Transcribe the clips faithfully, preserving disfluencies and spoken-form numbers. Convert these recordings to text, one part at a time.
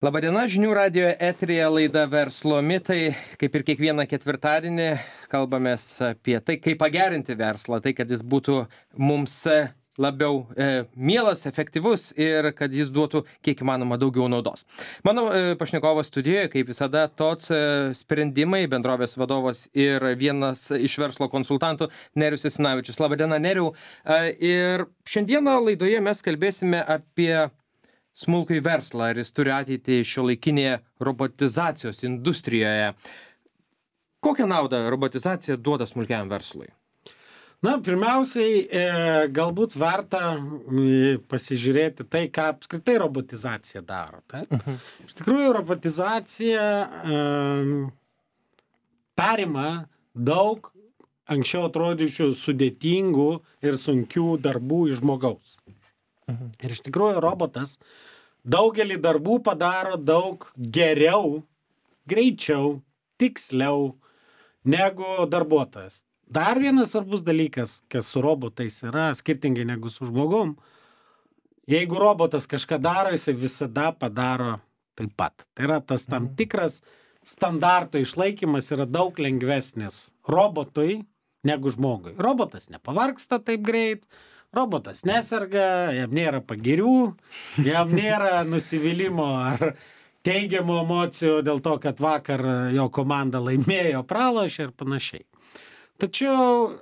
Labadiena, žinių radijo eteryje laida Verslo mitai. Kaip ir kiekvieną ketvirtadienį kalbamės apie tai, kaip pagerinti verslą, tai kad jis būtų mums labiau e, mielas, efektyvus ir kad jis duotų kiek įmanoma daugiau naudos. Mano e, pašnekovas studijoje, kaip visada, T O C e, sprendimai, bendrovės vadovas ir vienas iš verslo konsultantų Nerijus Jasinavičius. Labadiena, Nerijau. E, ir šiandieną laidoje mes kalbėsime apie smulkųjį verslą, ar jis turi ateitį šiuolaikinėje robotizacijos industrijoje. Kokią naudą robotizacija duoda smulkiam verslui? Na, pirmiausiai, e, galbūt verta e, pasižiūrėti tai, ką apskritai robotizacija daro. Tai? Uh-huh. Iš tikrųjų, robotizacija e, perima daug anksčiau atrodyčių sudėtingų ir sunkių darbų iš žmogaus. Uh-huh. Ir iš tikrųjų, robotas daugelį darbų padaro daug geriau, greičiau, tiksliau negu darbuotojas. Dar vienas svarbus dalykas, kas su robotais yra, skirtingai negu su žmogum, jeigu robotas kažką daro, jisai visada padaro taip pat. Tai yra tas tam tikras standarto išlaikymas yra daug lengvesnis robotui negu žmogui. Robotas nepavargsta taip greit, robotas neserga, jam nėra pagirių, jam nėra nusivylimo ar teigiamų emocijų dėl to, kad vakar jo komanda laimėjo, pralošė ir panašiai. Tačiau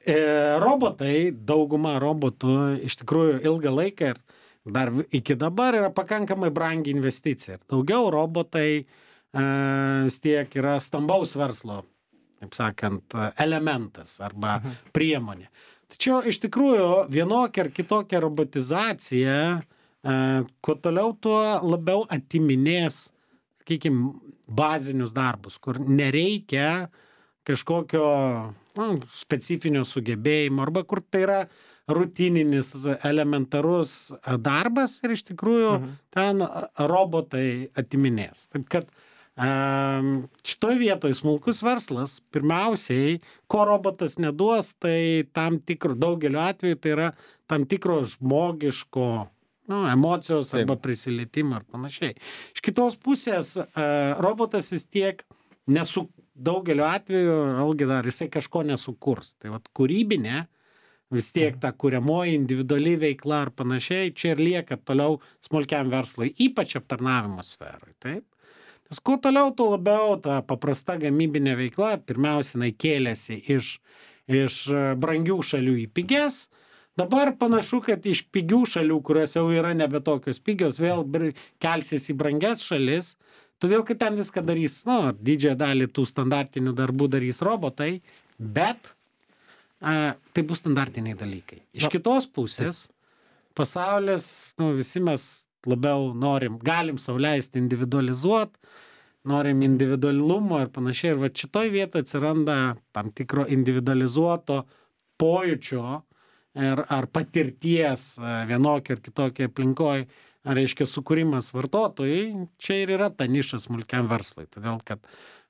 e, robotai, dauguma robotų iš tikrųjų ilgą laiką ir dar iki dabar yra pakankamai brangi investicija. Daugiau robotai e, vis tiek yra stambaus verslo, taip sakant, elementas arba priemonė. Tačiau iš tikrųjų vienokia ar kitokia robotizacija, e, kuo toliau, tuo labiau atiminės, sakykime, bazinius darbus, kur nereikia kažkokio nu, specifinio sugebėjimo, arba kur tai yra rutininis, elementarus darbas ir iš tikrųjų mhm. ten robotai atiminės. Taip kad um, šitoj vietoj smulkus verslas, pirmiausiai, ko robotas neduos, tai tam tikro, daugeliu atveju tai yra tam tikro žmogiško nu, emocijos arba prisilietimo ar panašiai. Iš kitos pusės uh, robotas vis tiek nesu daugeliu atveju, algi dar jisai kažko nesukurs. Tai vat kūrybinė, vis tiek ta kuriamoji individuali veikla ar panašiai, čia ir lieka toliau smulkiam verslui, ypač aptarnavimo sferai. Taip? Nes kuo toliau, tuo labiau ta paprasta gamybinė veikla, pirmiausia, jinai kėlėsi iš, iš brangių šalių į pigias. Dabar panašu, kad iš pigių šalių, kurios jau yra nebe tokios pigios, vėl kelsis į brangias šalis. Todėl, kad ten viską darys, nu, didžiąją dalį tų standartinių darbų darys robotai, bet a, tai bus standartiniai dalykai. Iš no. kitos pusės, pasaulis, nu, visi mes labiau norim, galim sau leisti individualizuoti, norim individualumo ir panašiai. Ir va šitoj vietoje atsiranda tam tikro individualizuoto pojūčio ir, ar patirties vienokio ir kitokio aplinkoje, reiškia sukūrimas vartotojai, čia ir yra ta niša smulkiam verslui. Todėl, kad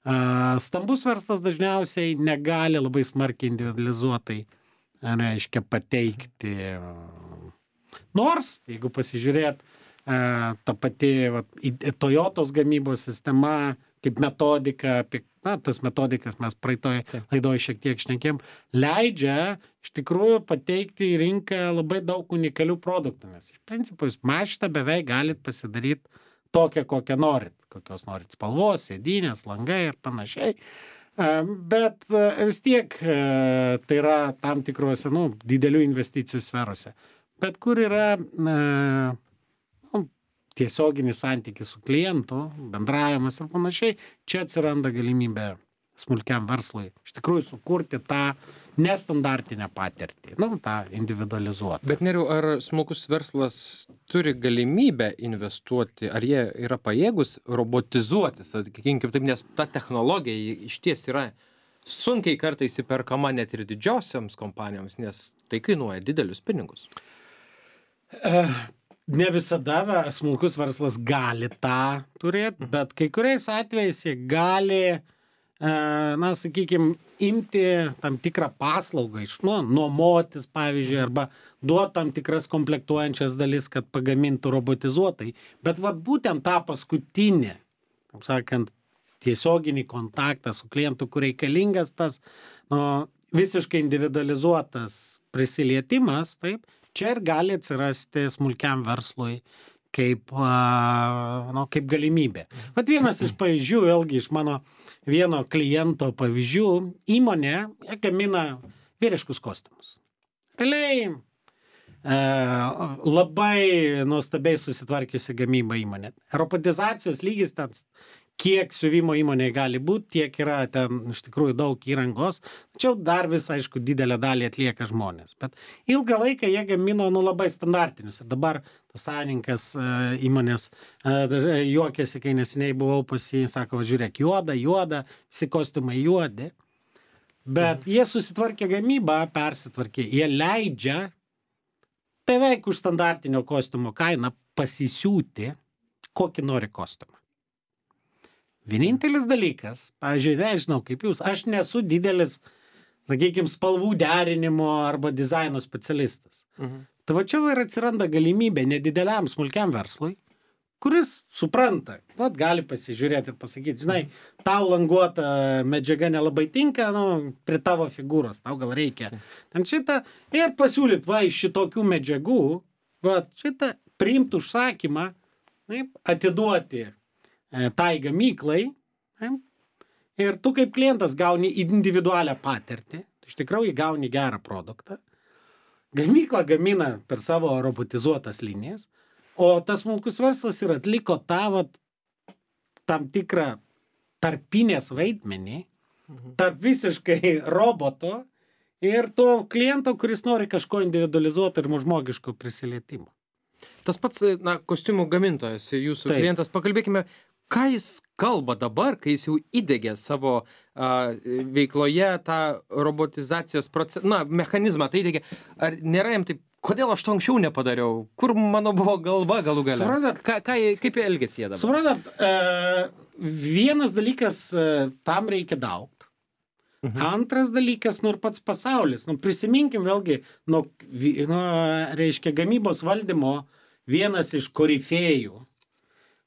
a, stambus verslas dažniausiai negali labai smarkiai individualizuotai, reiškia, pateikti. Nors, jeigu pasižiūrėt, a, ta pati va, Toyotos gamybos sistema, kaip metodika, apie na, tas metodikas mes praeitoj laidoje šiek tiek šnekėm, leidžia iš tikrųjų pateikti į rinką labai daug unikalių produktų. Nes iš principo jūs mašiną beveik galit pasidaryti tokią, kokią norit. Kokios norit spalvos, sėdynės, langai ir panašiai. Bet vis tiek tai yra tam tikrose nu, didelių investicijų sferose. Bet kur yra na, tiesioginis santykis su klientu, bendravimas ir panašiai, čia atsiranda galimybė smulkiam verslui iš tikrųjų sukurti tą nestandartinę patirtį, nu, tą individualizuotą. Bet Nerijau, ar smulkus verslas turi galimybę investuoti, ar jie yra pajėgus robotizuotis, sakykim, taip, nes ta technologija iš ties yra sunkiai kartais įperkama net ir didžiosioms kompanijoms, nes tai kainuoja didelius pinigus. Uh. Ne visada smulkus verslas gali tą turėti, bet kai kuriais atvejais jie gali na, sakykime, imti tam tikrą paslaugą iš, nu, nuomotis, pavyzdžiui, arba duoti tam tikras komplektuojančias dalis, kad pagamintų robotizuotai. Bet vat būtent tą paskutinį, kaip sakant, tiesioginį kontaktą su klientu, kur reikalingas tas, nu, visiškai individualizuotas prisilietimas, taip, čia ir gali atsirasti smulkiam verslui kaip, nu, kaip galimybė. Vat vienas iš pavyzdžių, vėlgi iš mano vieno kliento pavyzdžių, įmonė gamina vyriškus kostiumus. Realiai e, labai nuostabiai susitvarkiusi gamybą įmonė. Robotizacijos lygis ten, kiek siuvimo įmonėje gali būti, tiek yra ten iš tikrųjų daug įrangos, tačiau dar vis, aišku, didelę dalį atlieka žmonės. Bet ilgą laiką jie gamino, nu, labai standartinius. Ir dabar tas savininkas įmonės juokėsi, kai neseniai buvau pas jį, sako, žiūrėk, juoda, juoda, visi kostiumai juodi. Bet jie susitvarkė gamybą, persitvarkė. Jie leidžia beveik už standartinio kostiumo kainą pasisiūti, kokį nori kostiumą. Vienintelis dalykas, pavyzdžiui, nežinau kaip jūs, aš nesu didelis, sakykime, spalvų derinimo arba dizaino specialistas. Mhm. Tai va čia ir atsiranda galimybė nedideliam smulkiam verslui, kuris supranta, vat gali pasižiūrėti ir pasakyti, žinai, tau languota medžiaga nelabai tinka, nu, prie tavo figūros, tau gal reikia. Ten šitą ir pasiūlyt, va, iš šitokių medžiagų, va, šitą priimti užsakymą, taip, atiduoti tai gamyklai, ir tu kaip klientas gauni individualią patirtį, iš tikrųjų gauni gerą produktą, gamykla gamina per savo robotizuotas linijas, o tas smulkus verslas ir atliko tą, vat, tam tikrą tarpinės vaidmenį, tarp visiškai roboto ir to kliento, kuris nori kažko individualizuoti ir žmogiško prisilietimo. Tas pats, na, kostiumų gamintojas, jūsų Taip. klientas, pakalbėkime, ką jis kalba dabar, kai jis jau įdegė savo a, veikloje tą robotizacijos procesą, na, mechanizmą, tai įdegė, ar nėra jam taip, kodėl aš to anksčiau nepadariau, kur mano buvo galva galų gale? Suprantat? Ką, ką, kaip jie elgėsi jie dabar? Suprantat, e, vienas dalykas, e, tam reikia daug. Mhm. Antras dalykas, nu ir pats pasaulis. Nu, prisiminkim vėlgi, nu, nu, reiškia, gamybos valdymo vienas iš korifėjų,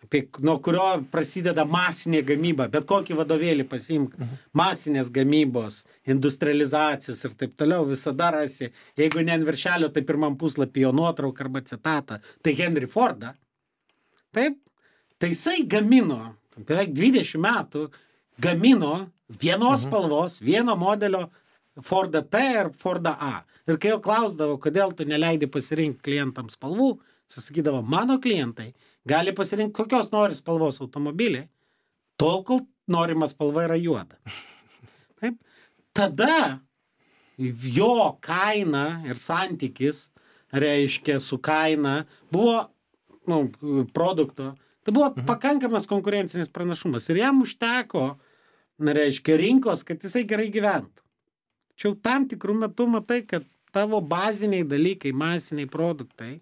apie, nuo kurio prasideda masinė gamyba, bet kokį vadovėlį pasiimk, mhm. masinės gamybos, industrializacijos ir taip toliau, visada rasi, jeigu ne ant viršelio, tai pirmam puslapį jo nuotrauką arba citatą, tai Henry Fordą, taip, tai jisai gamino, beveik dvidešimt metų, gamino vienos mhm. spalvos, vieno modelio Fordą T ir Fordą A. Ir kai jo klausdavo, kodėl tu neleidi pasirinkti klientams spalvų, sakydavo, mano klientai gali pasirinkti kokios nori spalvos automobilį, tol, kol norima spalva yra juoda. Taip? Tada jo kaina ir santykis, reiškia, su kaina buvo, nu, produkto, tai buvo mhm. pakankamas konkurencinis pranašumas. Ir jam užteko, reiškia, rinkos, kad jisai gerai gyventų. Tačiau tam tikrų metų matai, kad tavo baziniai dalykai, masiniai produktai,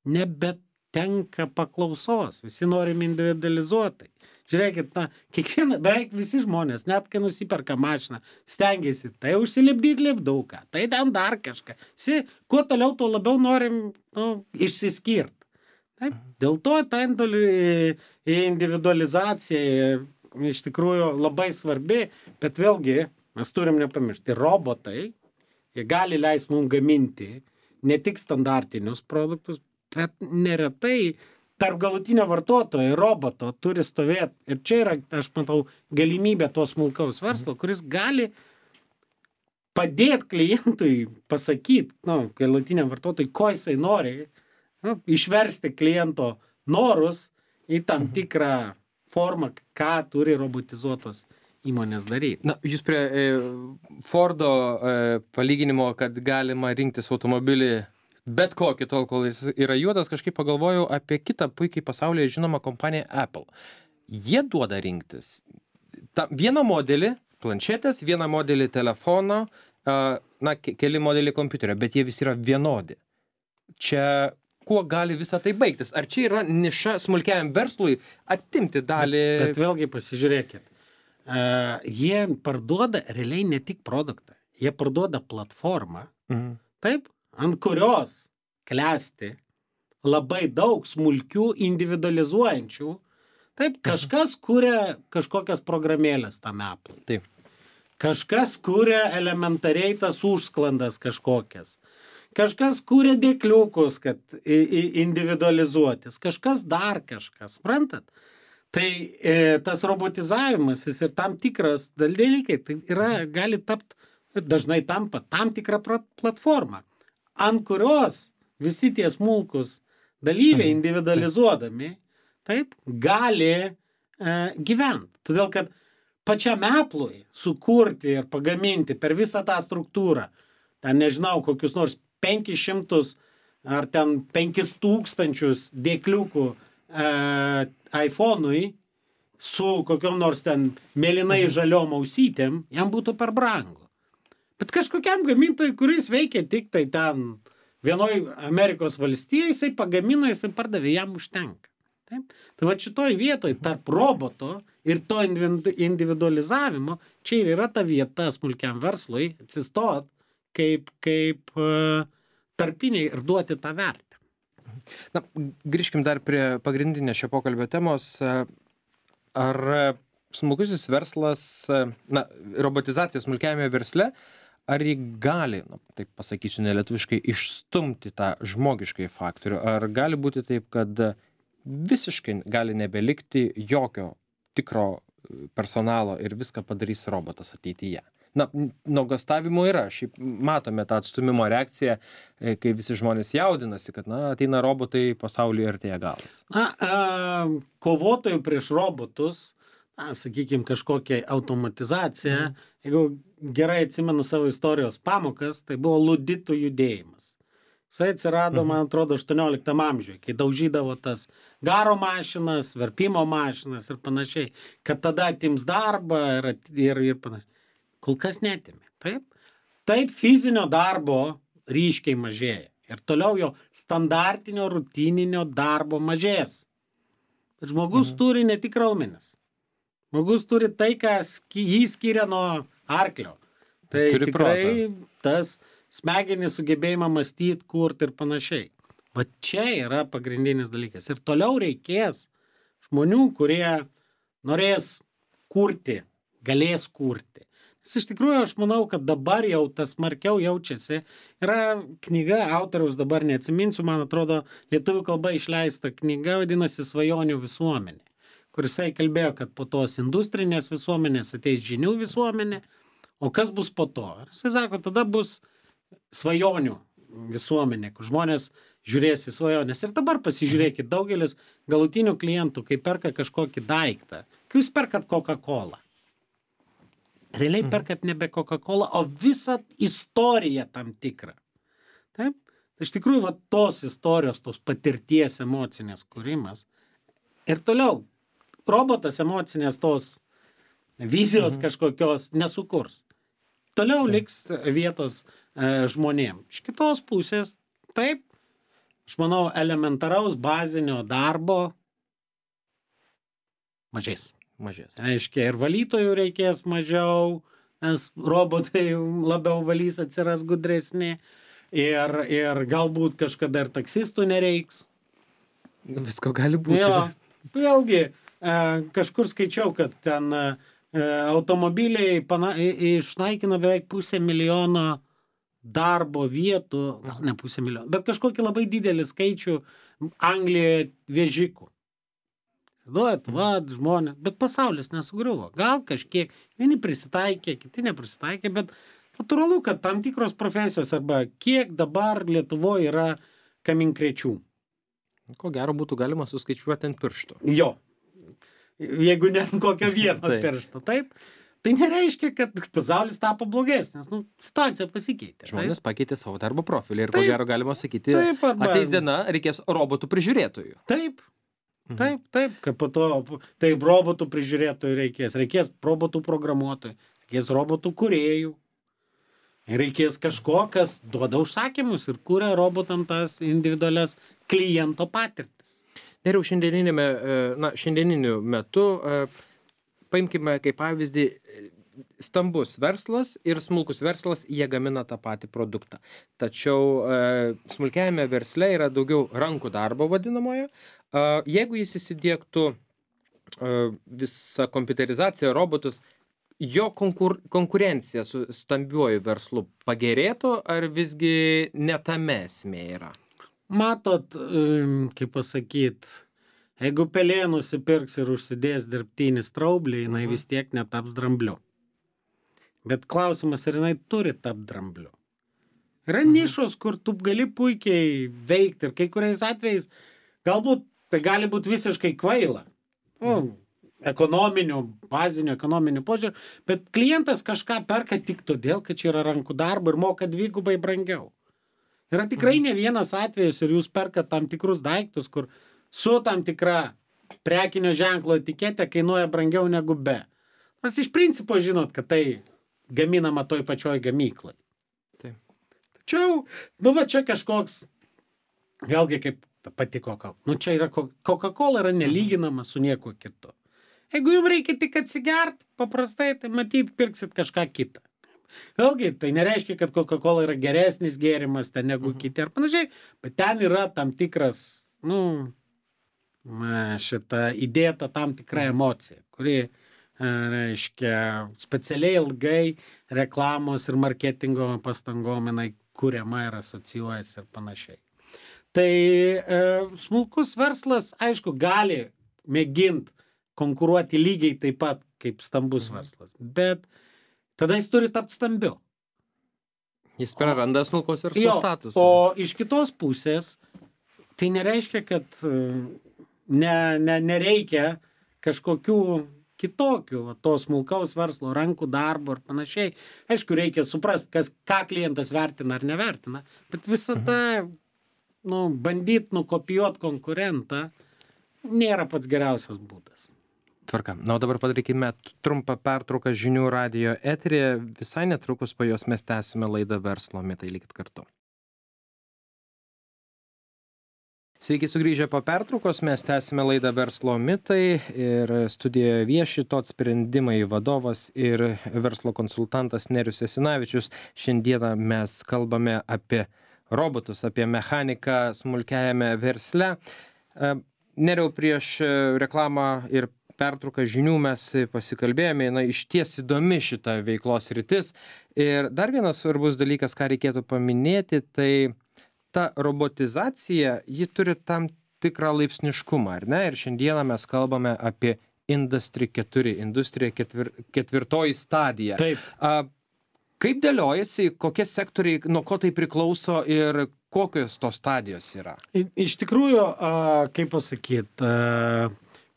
nebetenka paklausos. Visi norim individualizuotai. Žiūrėkit, na, kiekviena, beveik visi žmonės, net kai nusiperka mašiną, stengiasi tai užsilipdyti lipduką, tai ten dar kažką. Si, kuo toliau, tuo labiau norim, nu, išsiskirti. Taip, dėl to ta individualizacija iš tikrųjų labai svarbi, bet vėlgi mes turim nepamiršti, robotai, jie gali leisti mums gaminti ne tik standartinius produktus, bet neretai tarp galutinio vartotojo ir roboto turi stovėti. Ir čia yra, aš matau, galimybė to smulkaus verslo, kuris gali padėti klientui pasakyti, nu, galutiniam vartotojui, ko jisai nori, nu, išversti kliento norus į tam tikrą formą, ką turi robotizuotos įmonės daryti. Na, jūs prie e, Fordo e, palyginimo, kad galima rinktis automobilį bet kokį tol, kol jis yra juodas, kažkaip pagalvojau apie kitą puikiai pasaulyje žinomą kompaniją Apple. Jie duoda rinktis ta, vieną modelį planšetės, vieną modelį telefono, a, na, ke keli modeliai kompiuterio, bet jie visi yra vienodi. Čia kuo gali visą tai baigtis? Ar čia yra niša smulkiajam verslui atimti dalį? Bet, bet vėlgi pasižiūrėkit. uh, jie parduoda realiai ne tik produktą, jie parduoda platformą, Mhm. taip, ant kurios klesti labai daug smulkių individualizuojančių, taip, kažkas kuria kažkokias programėlės tam Apple. Taip. Kažkas kuria elementariai tas užsklandas kažkokias. Kažkas kuria dėkliukus, kad individualizuotis. Kažkas dar kažkas, suprantat? Tai e, tas robotizavimas, jis ir tam tikras dalykai, tai yra, gali tapti, dažnai tampa tam tikrą platformą, ant kurios visi tie smulkus dalyviai individualizuodami, taip, gali e, gyventi. Todėl, kad pačiam Apple'ui sukurti ir pagaminti per visą tą struktūrą, ten nežinau, kokius nors penkis šimtus ar ten penkis tūkstančius dėkliukų e, iPhone'ui su kokiom nors ten mėlynai žaliom ausytėm, jam būtų per brangu. Bet kažkokiam gamintojui, kuris veikia tik tai ten vienoj Amerikos valstijai, jisai pagamino, jisai pardavė, jam užtenka. Taip? Tai va šitoj vietoj tarp roboto ir to individualizavimo, čia ir yra ta vieta smulkiam verslui atsistot kaip, kaip uh, tarpiniai ir duoti tą vertę. Na, grįžkim dar prie pagrindinės šio pokalbio temos. Ar smulkusis verslas, na, robotizacija smulkiajame versle, ar jį gali, na, taip pasakysiu nelietuviškai, išstumti tą žmogiškai faktorių? Ar gali būti taip, kad visiškai gali nebelikti jokio tikro personalo ir viską padarys robotas ateityje? Na, nuogąstavimų yra. Šiaip matome tą atstumimo reakciją, kai visi žmonės jaudinasi, kad, na, ateina robotai, pasaulyje artėja galas. Na, a, kovotojų prieš robotus, na, sakykime, kažkokia automatizacija, mm. jeigu gerai atsimenu savo istorijos pamokas, tai buvo luditų judėjimas. Jisai atsirado, man atrodo, aštuonioliktam amžiuje, kai daužydavo tas garo mašinas, verpimo mašinas ir panašiai, kad tada atims darbą ir, ir, ir panašiai. Kol kas netimė. Taip? Taip fizinio darbo ryškiai mažėja. Ir toliau jo standartinio, rutininio darbo mažės. Bet žmogus mhm. turi ne tik raumenis. Žmogus turi tai, kas jį skiria nuo arklio. Tai tikrai protą. Tas smegenis sugebėjimą mąstyti, kurti ir panašiai. Va čia yra pagrindinis dalykas. Ir toliau reikės žmonių, kurie norės kurti, galės kurti. Nes iš tikrųjų aš manau, kad dabar jau tas smarkiau jaučiasi. Yra knyga, autoriaus dabar neatsiminsiu, man atrodo, lietuvių kalba išleista knyga, vadinasi Svajonių visuomenė, kur jisai kalbėjo, kad po tos industrinės visuomenės ateis žinių visuomenė, o kas bus po to? Ir jisai sako, tada bus svajonių visuomenė, kur žmonės žiūrės į svajonės. Ir dabar pasižiūrėkit, daugelis galutinių klientų, kai perka kažkokį daiktą, kai jūs perkat Coca-Cola, realiai perkat nebe Coca-Cola, o visą istoriją tam tikrą. Taip? Iš tikrųjų, va, tos istorijos, tos patirties emocinės kūrimas. Ir toliau, robotas emocinės tos vizijos mhm. kažkokios nesukurs. Toliau liks vietos e, žmonėm. Iš kitos pusės, taip, aš manau, elementaraus bazinio darbo mažės. Mažės. Aiškiai, ir valytojų reikės mažiau, nes robotai labiau valys, atsiras gudresni. Ir, ir galbūt kažkada ir taksistų nereiks. Visko gali būti. Jo, vėlgi, e, kažkur skaičiau, kad ten e, automobiliai pana, išnaikina beveik pusę milijono darbo vietų, gal ne pusę milijono, bet kažkokį labai didelį skaičių Anglijoje vežikų. Duot, va, žmonės, bet pasaulis nesugriuvo. Gal kažkiek, vieni prisitaikė, kiti neprisitaikė, bet natūralu, kad tam tikros profesijos arba kiek dabar Lietuvoje yra kaminkrečių. Ko gero būtų galima suskaičiuoti ant piršto. Jo. Jeigu ne ant kokio vieno piršto, taip. Tai nereiškia, kad pasaulis tapo blogesnis. Nu, situacija pasikeitė. Žmonės taip? pakeitė savo darbo profilį ir taip, ko gero galima sakyti, taip, arba... ateis diena, reikės robotų prižiūrėtojų. Taip. Taip, taip, kad po to, taip, robotų prižiūrėtojų reikės, reikės robotų programuotojų, reikės robotų kūrėjų, reikės kažko, kas duoda užsakymus ir kuria robotam tas individualias kliento patirtis. Ir jau šiandieninėme, na, šiandieniniu metu paimkime kaip pavyzdį stambus verslas ir smulkus verslas, jie gamina tą patį produktą. Tačiau e, smulkiajame versle yra daugiau rankų darbo vadinamojo. E, jeigu jis įsidiegtų e, visą kompiuterizaciją, robotus, jo konkur, konkurencija su stambiuoju verslu pagerėtų, ar visgi ne tame esmė yra? Matot, kaip pasakyt, jeigu pelė nusipirks ir užsidės dirbtinį straublį, jinai vis tiek netaps drambliu. Bet klausimas, ar jinai turi tapti drambliu. Yra nišos, kur tu gali puikiai veikti ir kai kuriais atvejais galbūt tai gali būti visiškai kvaila. Nu, ekonominių, bazinių ekonominių požiūrių, bet klientas kažką perka tik todėl, kad čia yra rankų darbo ir moka dvigubai brangiau. Yra tikrai ne vienas atvejis ir jūs perkat tam tikrus daiktus, kur su tam tikra prekinio ženklo etiketė kainuoja brangiau negu be. Nors iš principo žinot, kad tai gaminama toj pačioj gamyklai. Taip. Tačiau, nu va čia kažkoks, vėlgi kaip pati Coca-Cola. Nu čia yra, Coca-Cola yra nelyginama su nieko kitu. Jeigu jums reikia tik atsigert, paprastai, tai matyt, pirksit kažką kitą. Vėlgi, tai nereiškia, kad Coca-Cola yra geresnis gėrimas ten negu mhm. kiti ar panašiai, bet ten yra tam tikras, nu, šita įdėta tam tikra emocija, kuri, reiškia, specialiai ilgai reklamos ir marketingo pastangom jinai kuriama ir asocijuojasi ir panašiai. Tai e, smulkus verslas, aišku, gali mėginti konkuruoti lygiai taip pat kaip stambus mhm. verslas, bet tada jis turi tapti stambiu. Jis praranda smulkaus verslo statusą. O iš kitos pusės, tai nereiškia, kad ne, ne, nereikia kažkokių kitokių va, to smulkaus verslo, rankų darbo ir panašiai. Aišku, reikia suprasti, kas, ką klientas vertina ar nevertina, bet visada mhm. nu, bandyti nukopijuoti konkurentą nėra pats geriausias būdas. Tvarka. Na, o dabar padarykime trumpą pertrauką žinių radijo eteryje. Visai netrukus po jos mes tęsime laidą Verslo mitai. Likit kartu. Sveiki sugrįžę po pertraukos. Mes tęsime laidą Verslo mitai ir studijoje vieši tot sprendimai vadovas ir verslo konsultantas Nerijus Jasinavičius. Šiandieną mes kalbame apie robotus, apie mechaniką smulkiajame versle. Nerijau, prieš reklamą ir pertrauką žinių mes pasikalbėjome, na, iš ties įdomi šita veiklos rytis. Ir dar vienas svarbus dalykas, ką reikėtų paminėti, tai ta robotizacija, ji turi tam tikrą laipsniškumą, ar ne? Ir šiandieną mes kalbame apie Industry keturi, industrija ketvir, ketvirtoji stadija. Taip. A, kaip dėliojasi, kokie sektoriai, nuo ko tai priklauso ir kokios tos stadijos yra? Iš tikrųjų, kaip pasakyti,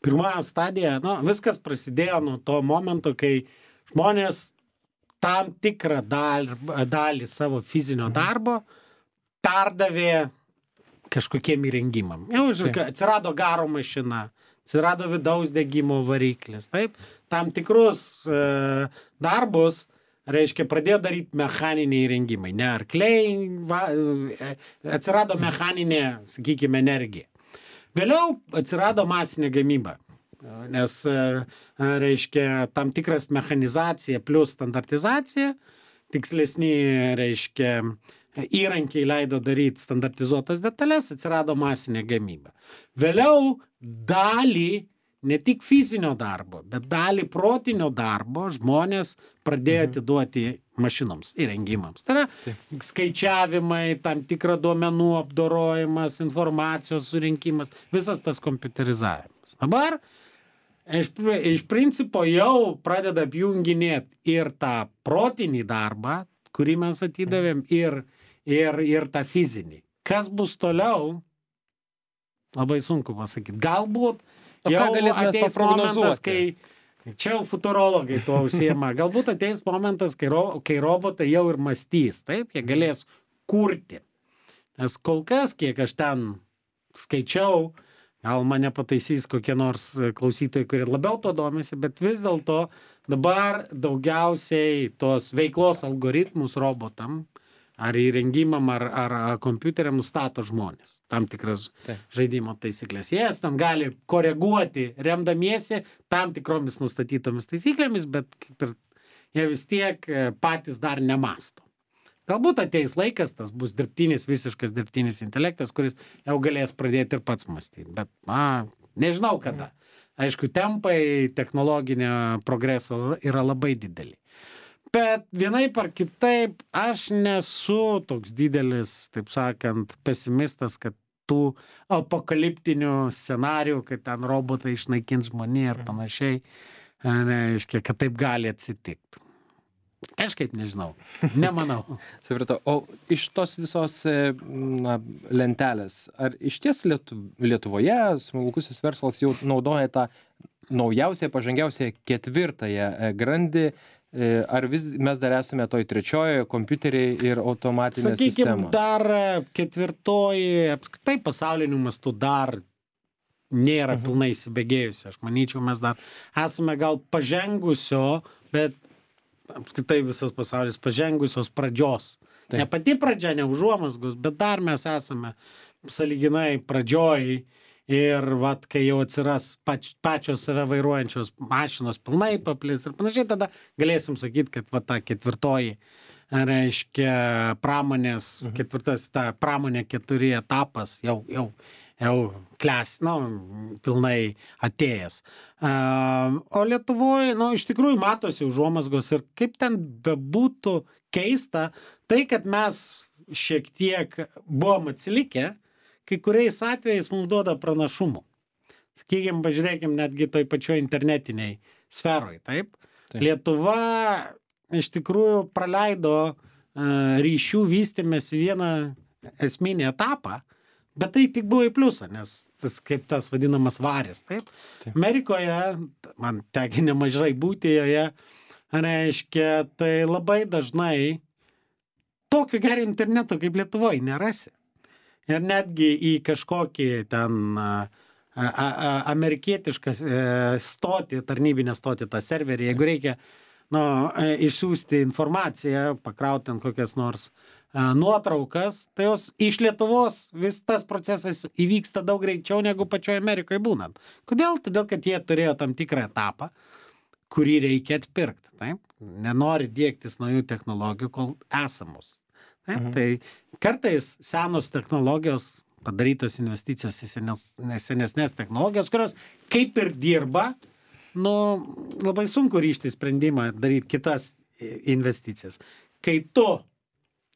pirma stadija, nu, viskas prasidėjo nuo to momento, kai žmonės tam tikrą dalį, dalį savo fizinio darbo perdavė kažkokiem įrengimam. Jau, atsirado garo mašina, atsirado vidaus degimo variklis, taip, tam tikrus e, darbus, reiškia, pradėjo daryti mechaniniai įrengimai, ne arkliai, va, e, atsirado mechaninė, sakykime, energija. Vėliau atsirado masinė gamyba, nes, reiškia, tam tikras mechanizacija plus standartizacija, tikslesni, reiškia, įrankiai leido daryti standartizuotas detalės, atsirado masinė gamyba. Vėliau dalį ne tik fizinio darbo, bet dalį protinio darbo žmonės pradėjo atiduoti mašinoms, įrengimams. Tai yra Taip. skaičiavimai, tam tikra duomenų apdorojimas, informacijos surinkimas, visas tas kompiuterizavimas. Dabar iš, iš principo jau pradeda apjunginėti ir tą protinį darbą, kurį mes atidavėm, ir, ir, ir tą fizinį. Kas bus toliau, labai sunku pasakyti. Galbūt jau ateis momentas, kai čia jau futurologai tuo užsiema. Galbūt ateis momentas, kai, ro, kai robotai jau ir mąstys, taip, jie galės kurti. Nes kol kas, kiek aš ten skaičiau, gal mane pataisys kokie nors klausytojai, kurie labiau to domisi, bet vis dėlto dabar daugiausiai tos veiklos algoritmus robotam ar įrengimam, ar, ar kompiuteriam nustato žmonės. Tam tikras Taip. žaidimo taisyklės. Jie ten gali koreguoti, remdamiesi tam tikromis nustatytomis taisyklėmis, bet kaip ir jie vis tiek patys dar nemasto. Galbūt ateis laikas, tas bus dirbtinis, visiškas dirbtinis intelektas, kuris jau galės pradėti ir pats mąstyti. Bet, na, nežinau kada. Aišku, tempai technologinio progreso yra labai dideli. Bet vienaip ar kitaip aš nesu toks didelis, taip sakant, pesimistas, kad tų apokaliptinių scenarijų, kad ten robotai išnaikins žmonį ir panašiai, reiškia, kad taip gali atsitikti. Kažkaip nežinau, nemanau. Supratau. O iš tos visos na, lentelės, ar iš ties Lietu, Lietuvoje smulkusis verslas jau naudoja tą naujausią, pažangiausią ketvirtąją grandį, ar vis mes dar esame toj trečiojoje kompiuteriai ir automatinės sistemos? Sakykime, dar ketvirtoji, apskritai pasauliniu mastu dar nėra uh-huh. pilnai įsibėgėjusi. Aš manyčiau, mes dar esame gal pažengusio, bet apskritai visas pasaulis pažengusios pradžios. Taip. Ne pati pradžia, ne užuomazgos, bet dar mes esame sąlyginai pradžioj ir vat, kai jau atsiras pač, pačios save vairuojančios mašinos pilnai paplis ir panašiai, tada galėsim sakyti, kad va ta ketvirtoji, reiškia, pramonės, mhm. ketvirtas, ta pramonė keturi etapas jau, jau jau kles, nu, pilnai atėjęs. Uh, o Lietuvoje, nu, iš tikrųjų matosi užuomazgos ir kaip ten bebūtų keista, tai, kad mes šiek tiek buvom atsilikę, kai kuriais atvejais mums duoda pranašumų. Sakykime, pažiūrėkime, netgi toj pačioj internetiniai sferoj, taip? taip. Lietuva iš tikrųjų praleido uh, ryšių vystymės vieną esminį etapą, bet tai tik buvo į pliusą, nes tas kaip tas vadinamas varis, taip? taip. Amerikoje, man teki nemažai būti joje, reiškia, tai labai dažnai tokio gero interneto kaip Lietuvoje nerasi. Ir netgi į kažkokį ten a, a, a, amerikietišką stotį, tarnybinę stotį, tą serverį, jeigu reikia nu, išsiųsti informaciją, pakrauti ant kokias nors nuotraukas, tai jos iš Lietuvos vis tas procesas įvyksta daug greičiau negu pačioje Amerikoje būnant. Kodėl? Todėl, kad jie turėjo tam tikrą etapą, kurį reikia atpirkti. Taip? Nenori diegtis naujų technologijų, kol esamos. Taip? Mhm. Tai kartais senos technologijos, padarytos investicijos į senes, senesnės technologijos, kurios kaip ir dirba, nu, labai sunku ryžti sprendimą daryti kitas investicijas. Kai tu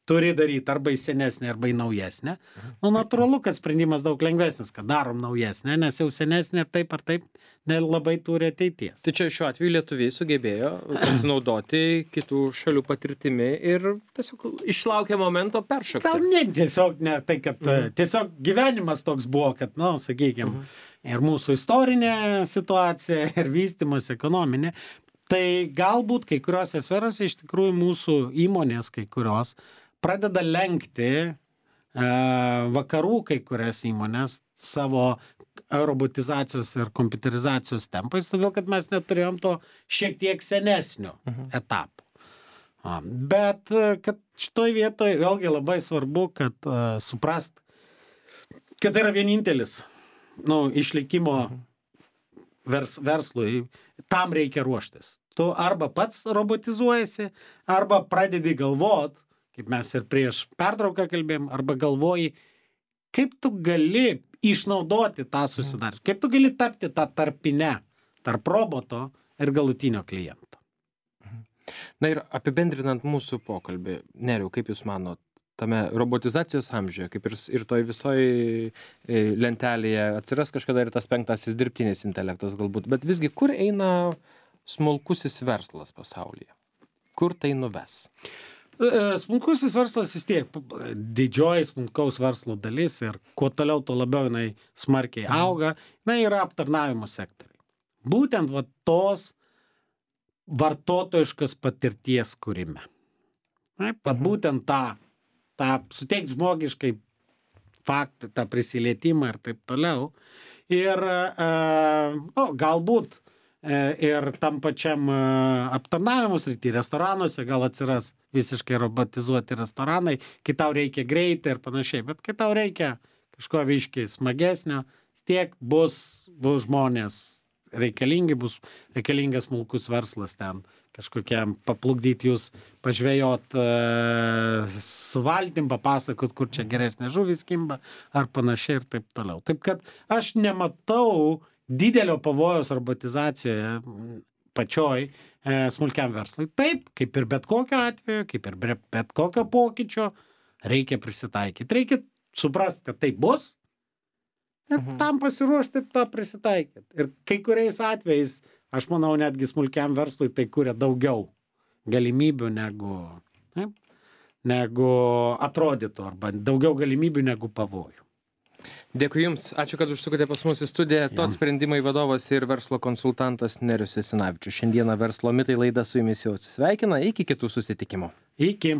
turi daryti arba į senesnę, arba į naujesnę. Nu, natūralu, kad sprendimas daug lengvesnis, kad darom naujesnę, nes jau senesnė ir taip ar taip nelabai turi ateities. Tai čia šiuo atveju lietuviai sugebėjo pasinaudoti kitų šalių patirtimi ir tiesiog išlaukė momento peršokti. Gal ne, tiesiog ne, tai kad mhm. tiesiog gyvenimas toks buvo, kad, nu, sakykime, mhm. ir mūsų istorinė situacija, ir vystymas ekonominė, tai galbūt kai kuriuose sferose iš tikrųjų mūsų įmonės kai kurios pradeda lenkti e, vakarų kai kurias įmonės savo robotizacijos ir kompiuterizacijos tempais, todėl kad mes neturėjom to šiek tiek senesnio uh-huh. etapo. A, bet kad šitoj vietoje vėlgi labai svarbu, kad uh, suprast, kad tai yra vienintelis nu, išlikimo uh-huh. vers, verslui, tam reikia ruoštis. Tu arba pats robotizuojasi, arba pradedi galvot, kaip mes ir prieš pertrauką kalbėjom, arba galvoji, kaip tu gali išnaudoti tą susidarymą, kaip tu gali tapti tą tarpinę tarp roboto ir galutinio kliento. Na ir apibendrinant mūsų pokalbį, Nerijau, kaip Jūs manot, tame robotizacijos amžiuje, kaip ir, ir toj visoj lentelėje atsiras kažkada ir tas penktasis dirbtinis intelektas galbūt, bet visgi kur eina smulkusis verslas pasaulyje? Kur tai nuves? Smulkusis verslas vis tiek didžioji smulkaus verslo dalis ir kuo toliau, tuo labiau jinai smarkiai auga, jinai yra aptarnavimo sektoriai. Būtent va tos vartotojiškas patirties kūrime. Taip, pat mhm. būtent tą, tą suteikti žmogiškai faktą, tą prisilietimą ir taip toliau. Ir e, o, galbūt ir tam pačiam aptarnavimo srity, restoranuose gal atsiras visiškai robotizuoti restoranai, kai tau reikia greitai ir panašiai, bet kai tau reikia kažko biškai smagesnio, tiek bus, bus žmonės reikalingi, bus reikalingas smulkus verslas ten, kažkokiam paplukdyti jūs, pažvejot uh, su valtim, papasakot, kur čia geresnė žuvis kimba, ar panašiai ir taip toliau. Taip kad aš nematau didelio pavojaus robotizacijoje pačioj e, smulkiam verslui. Taip, kaip ir bet kokio atveju, kaip ir bet kokio pokyčio, reikia prisitaikyti. Reikia suprasti, kad tai bus ir mhm. tam pasiruošti taip tą prisitaikyti. Ir kai kuriais atvejais, aš manau, netgi smulkiam verslui tai kuria daugiau galimybių negu, taip, negu atrodytų, arba daugiau galimybių negu pavojų. Dėkui Jums, ačiū, kad užsukote pas mus į studiją. Tot sprendimai vadovas ir verslo konsultantas Nerijus Jasinavičius. Šiandieną Verslo mitai laida su Jumis jau atsisveikina. Iki kitų susitikimų. Iki.